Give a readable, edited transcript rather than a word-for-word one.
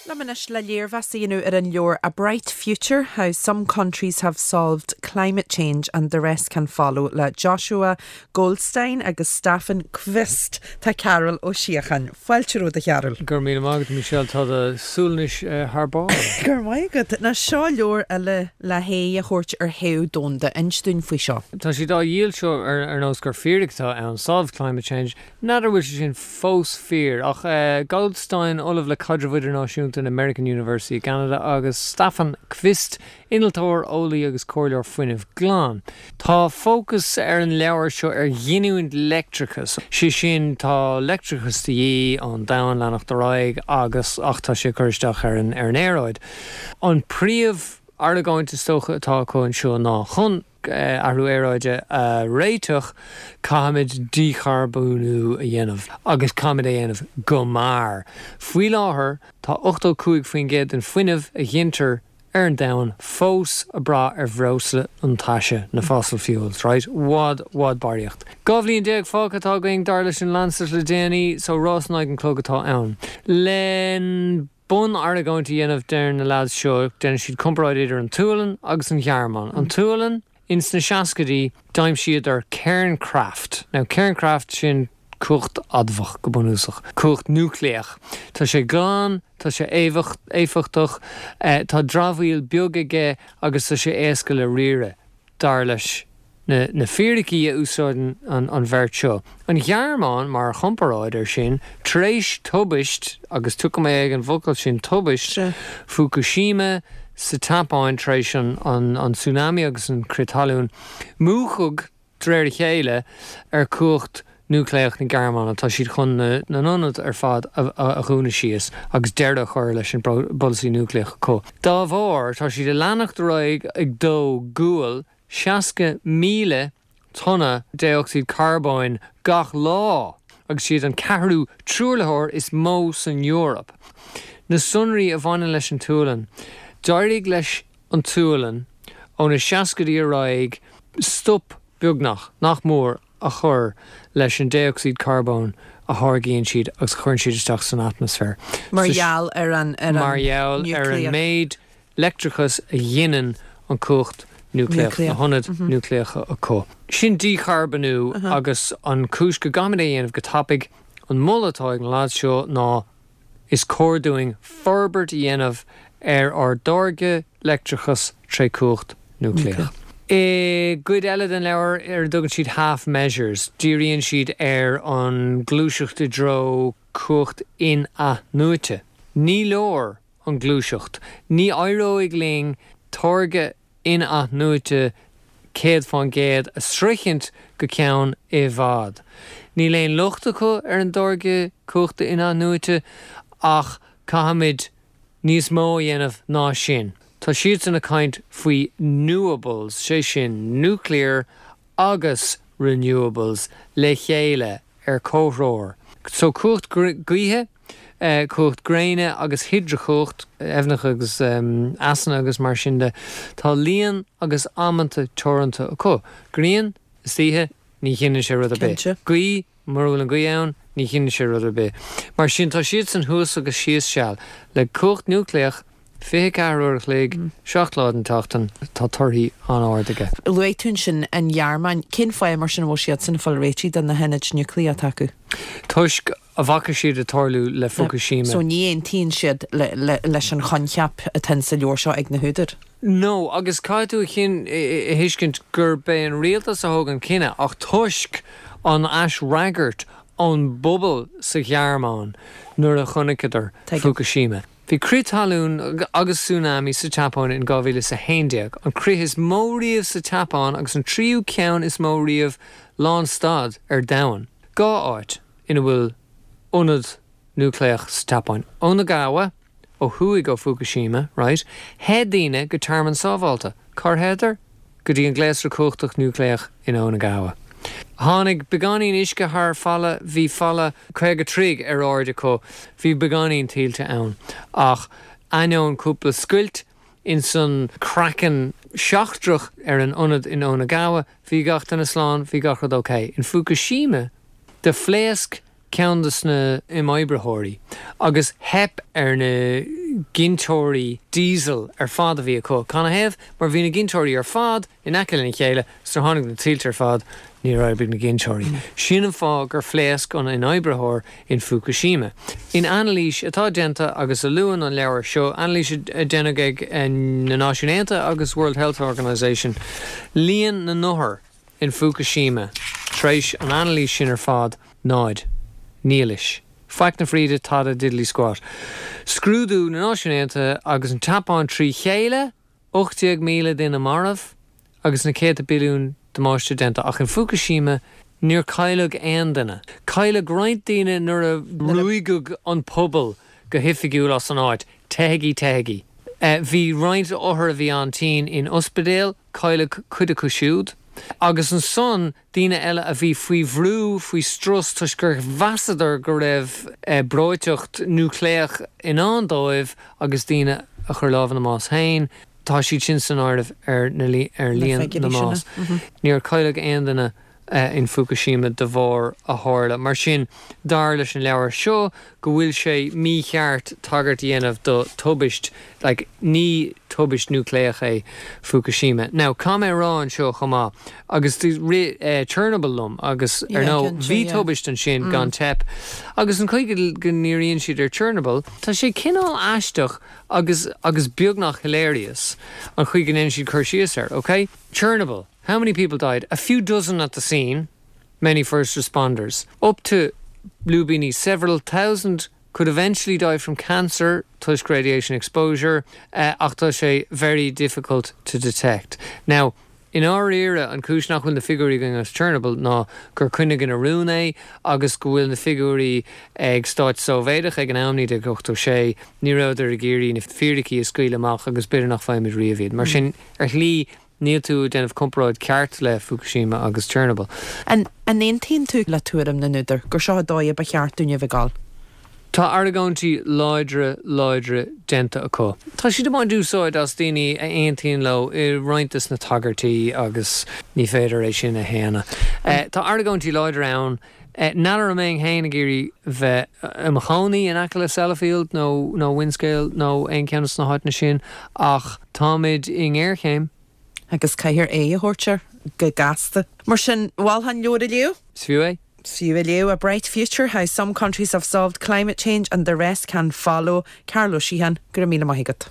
Liom anois le léirmheas a dhéanamh ar an leabhar A Bright Future, How Some Countries Have Solved Climate Change and the Rest Can Follow le Joshua Goldstein agus Staffan Qvist, tá Cearbhall Ó Síocháin. Fáilte romhat, a Chearbhaill. Go raibh míle maith agat, Michelle. Tá do Sualainnis thar barr. Go raibh maith agat. Now seo leabhar eile le haghaidh a thabhairt ar théamh domhanda. Inis dúinn faoi seo. Tá siad á dhíol seo ar nós gur fíric atá ann, Solve Climate Change. N'fheadar bhfuil sé sin fós fíor, ach Goldstein, Ollamh le Caidreamh Idirnáisiúnta in American University i gCeanada, agus Staffan Qvist, innealtóir, eolaí agus comhairleoir fuinnimh glan. Tá fócas ar an leabhar seo ar ghiniúint leictreachais, sé sin tá leictreachas de dhíth ón domhan leanacht ar aghaidh agus ach tá sé ag cur isteach ar an ar an aeráid. An príomh argóint is dócha atá acu anseo ná chun athrú aeráide a réiteach caithfimid dícharbónú a dhéanamh agus caithfimid é a dhéanamh go mear. Faoi láthair tá 85% den fuinneamh a ghintear ar an domhan fós ag brath ar bhreosla iontaise, na fossil fuels, right? I bhfad, bhfad barraíocht. 12 bhliain fágtha atá againn, dar leis an Lancet le déanaí, so rás in aghaidh an chlog atá ann. Len bun-argóint a dhéanamh, deir na lads seo, déanann siad comparáid idir an tSualainn agus an Ghearmáin. An tSualainn, ins na seascaidí, d'aimsíodar Kernkraft. Now, Kernkraft, sin cumhacht adamhach, go bunúsach. Cumhacht núicléach. Tá sé glan, tá sé éifeachtach, tá dramhaíl beag aige agus tá sé éasca le riaradh, dar leis na fíricí a úsáideann an bheirt seo. An Ghearmáin, mar chomparáid air sin, tar éis tubaist, agus tiocfaidh mé ag an bhfocal sin tubaist, Fukushima sa tSeapáin tar éis an tsunami agus an crith talún, múchadh De réir a chéile, ar cumhacht núicléach na Gearmáine, tá siad chun na n-ionad ar fad a dhúnadh síos agus deireadh a chur leis an bpolasaí núicléach acu. Dá bharr, tá siad ag leanacht ar aghaidh ag dó gual 60,000 tonna dé-ocsaíd carbóin gach lá agus siad an ceathrú truaillitheoir is mó san Eoraip. Na sonraí a bhaineann leis an tSualainn, d'éirigh leis an tSualainn ó na seascaidí ar aghaidh stop beagnach, nach mór, a chur leis an dé-ocsaíd carbóin a tháirgíonn siad agus a chuireann siad isteach san atmaisféar. Mar gheall ar an Mar gheall ar an méid leictreachais a ghineann an cumhacht núicléach, na hionaid núicléacha acu. Sin dícharbónú agus an chúis go gcaithfimid é a dhéanamh go tapaidh, an moladh atá ag na lads seo ná Is cóir dúinn forbairt a dhéanamh ar ár dtáirgeadh leictreachais tré cumhacht núicléach. I gcuid eile den leabhar, ar a dtugann siad Half Measures, díríonn siad ar an gluaiseacht i dtreo cumhacht in-athnuaite. Ní leor an ghluaiseacht. Ní éireoidh linn táirgeadh in-athnuaite 100% a sroichint go ceann i bhfad. Níl aon locht acu ar an dtáirgeadh cumhachta in-athnuaite ach caithfimid níos mó a dhéanamh ná sin. Tá siadsan ag caint faoi newables, sé sin nuclear agus renewables le chéile ar comhthreomhar. So cumhacht gaoithe, cumhacht gréine agus hidreachumhacht, aibhneacha agus easanna agus mar sin de. Tá líon agus amanta teoranta acu. Grian, istoíche, ní ghineann sé rud ar bith. Gaoth, mura bhfuil an ghaoth ann, ní ghineann sé rud ar bith. Mar sin tá siadsan thuas agus síos seal. Le cumhacht núicléach, 24 uair a chloig, 7 lá den tseachtain, tá torthaí an-ard aige. Luaigh tú ansin an Ghearmáin. Cén fáth mar sin a bhfuil siadsan ag fáil réitithe do na hionaid núicléacha atá acu? Toisc a bhfaca siad ag tarlú le Fukushima. So ní aontaíonn siad leis an choincheap atá in sa leabhar seo ag na húdair? No, agus caithfidh tú a thuiscint gurb é an rialtas a thóg an cinneadh ach toisc an aisfhreagairt ón bpobal sa Ghearmáin nuair a chonaiceadar Fukushima. Bhí crith talún agus tsunami sa tSeapáin in 2011, an crith is mó riamh sa tSeapáin agus an tríú ceann is mó riamh lánstad ar domhan. 2 áit ina bhfuil ionad núicléach sa tSeapáin, Onagawa, ó thuaidh ó Fukushima, right, theith daoine go tearmann sábhálta. Cár theitheadar? Go dtí an gléasra cumhachtach núicléach in Onagawa. Tháinig beagáinín uisce thar falla, bhí falla 50 troigh ar airde acu, bhí beagáinín tuilte ann, ach ainneoin cúpla scoilt insan craiceann seachtrach ar an ionad in Onagawa, bhí gach duine slán, bhí gach rud ok. In Fukushima, do phléasc ceann de na imoibritheoirí agus theip ar na. ginteoirí diesel ar fad a bhí acu. Canathaobh? Mar bhí na ginteoirí ar fad in aice lena chéile, 's nuair a tháinig na tuilte ar fad, níor oibrigh na ginteoirí. Sin an fáth gur phléasc an imoibritheoir in Fukushima. In anailís atá déanta agus a luann an leabhar seo, anailís a deineadh ag na Náisiúin Aontaithe agus World Health Organization, líon na n-othar in Fukushima tar éis an anailís sin ar fad, náid. Nialais. Faic na fríde, tada, diddly squat. Scrúdú na Náisiún Aontaithe agus an tSeapáin trí chéile, 18,000 duine marbh agus na céadta billiún damáiste déanta ach in Fukushima níor cailleadh aon duine. Cailleadh roinnt daoine nuair a ruaigeadh an pobal go hoifigiúil as an áit, teithigí, teithigí. Bhí roinnt othar a bhí an-tinn in ospidéal, cailleadh cuid acu siúd. Agus ansan daoine eile a bhí faoi bhrú, faoi strus toisc gur mheasadar go raibh breoiteacht núicléach i ndán dóibh agus daoine a chuir lámh ina mbás féin, tá siad sin san áireamh ar líon na mbás. Níor cailleadh aon duine in Fukushima de bharr a tharla. Mar sin, dar leis an leabhar seo go bhfuil sé mícheart tagairt a dhéanamh do tubaist, like, ní tubaist núicléach é Fukushima. Now, caithfidh mé a rá anseo chomh maith, agus rith Chernobyl liom agus, ar ndóigh, bhí tubaist ansin gan teip, agus an chaoi go ndíríonn siad ar Chernobyl, tá sé cineál aisteach agus, agus beagnach hilarious an chaoi go ndéanann siad cur síos air, ok? Chernobyl, how many people died? A few dozen at the scene, many first responders. Up to lúibíní, several thousand could eventually die from cancer toisc radiation exposure ach tá sé very difficult to detect. Now, i ndáiríre, an chúis nach bhfuil na figiúirí againn as Chernobyl ná gur coinníodh ina rún é agus go bhfuil na figiúirí ag stáit Sóivéadach ag an am, 1986, ní rabhadar ag iarraidh na fíricí a scaoileadh amach agus b'fhéidir nach bhfaighimid riamh iad. Mar sin, ar shlí, Níl tú ag déanamh comparáid ceart le Fukushima agus Chernobyl. An aontaíonn tú le tuairim na n-údar gur seo an dóigh a ba cheart dúinn a bheith ag dul? Tá argóintí láidre, láidre déanta acu. Tá siad ag baint úsáid as daoine a aontaíonn leo i roinnt des na tagairtí agus ní féidir é sin a shéanadh. Tá argóintí láidre ann. N'fheadar an mbeinn féin ag iarraidh bheith i mo chónaí in aice le Sellafield nó nó Windscale nó aon cheann des na háiteanna sin ach táimid i ngéarchéim. Agus caithfear aghaidh a thabhairt air go gasta. Mar sin, mholfá an leabhar a léamh? Is fiú é. Is fiú é a léamh, A Bright Future, How Some Countries Have Solved Climate Change and the Rest Can Follow. Cearbhall Ó Síocháin, go raibh míle maith agat.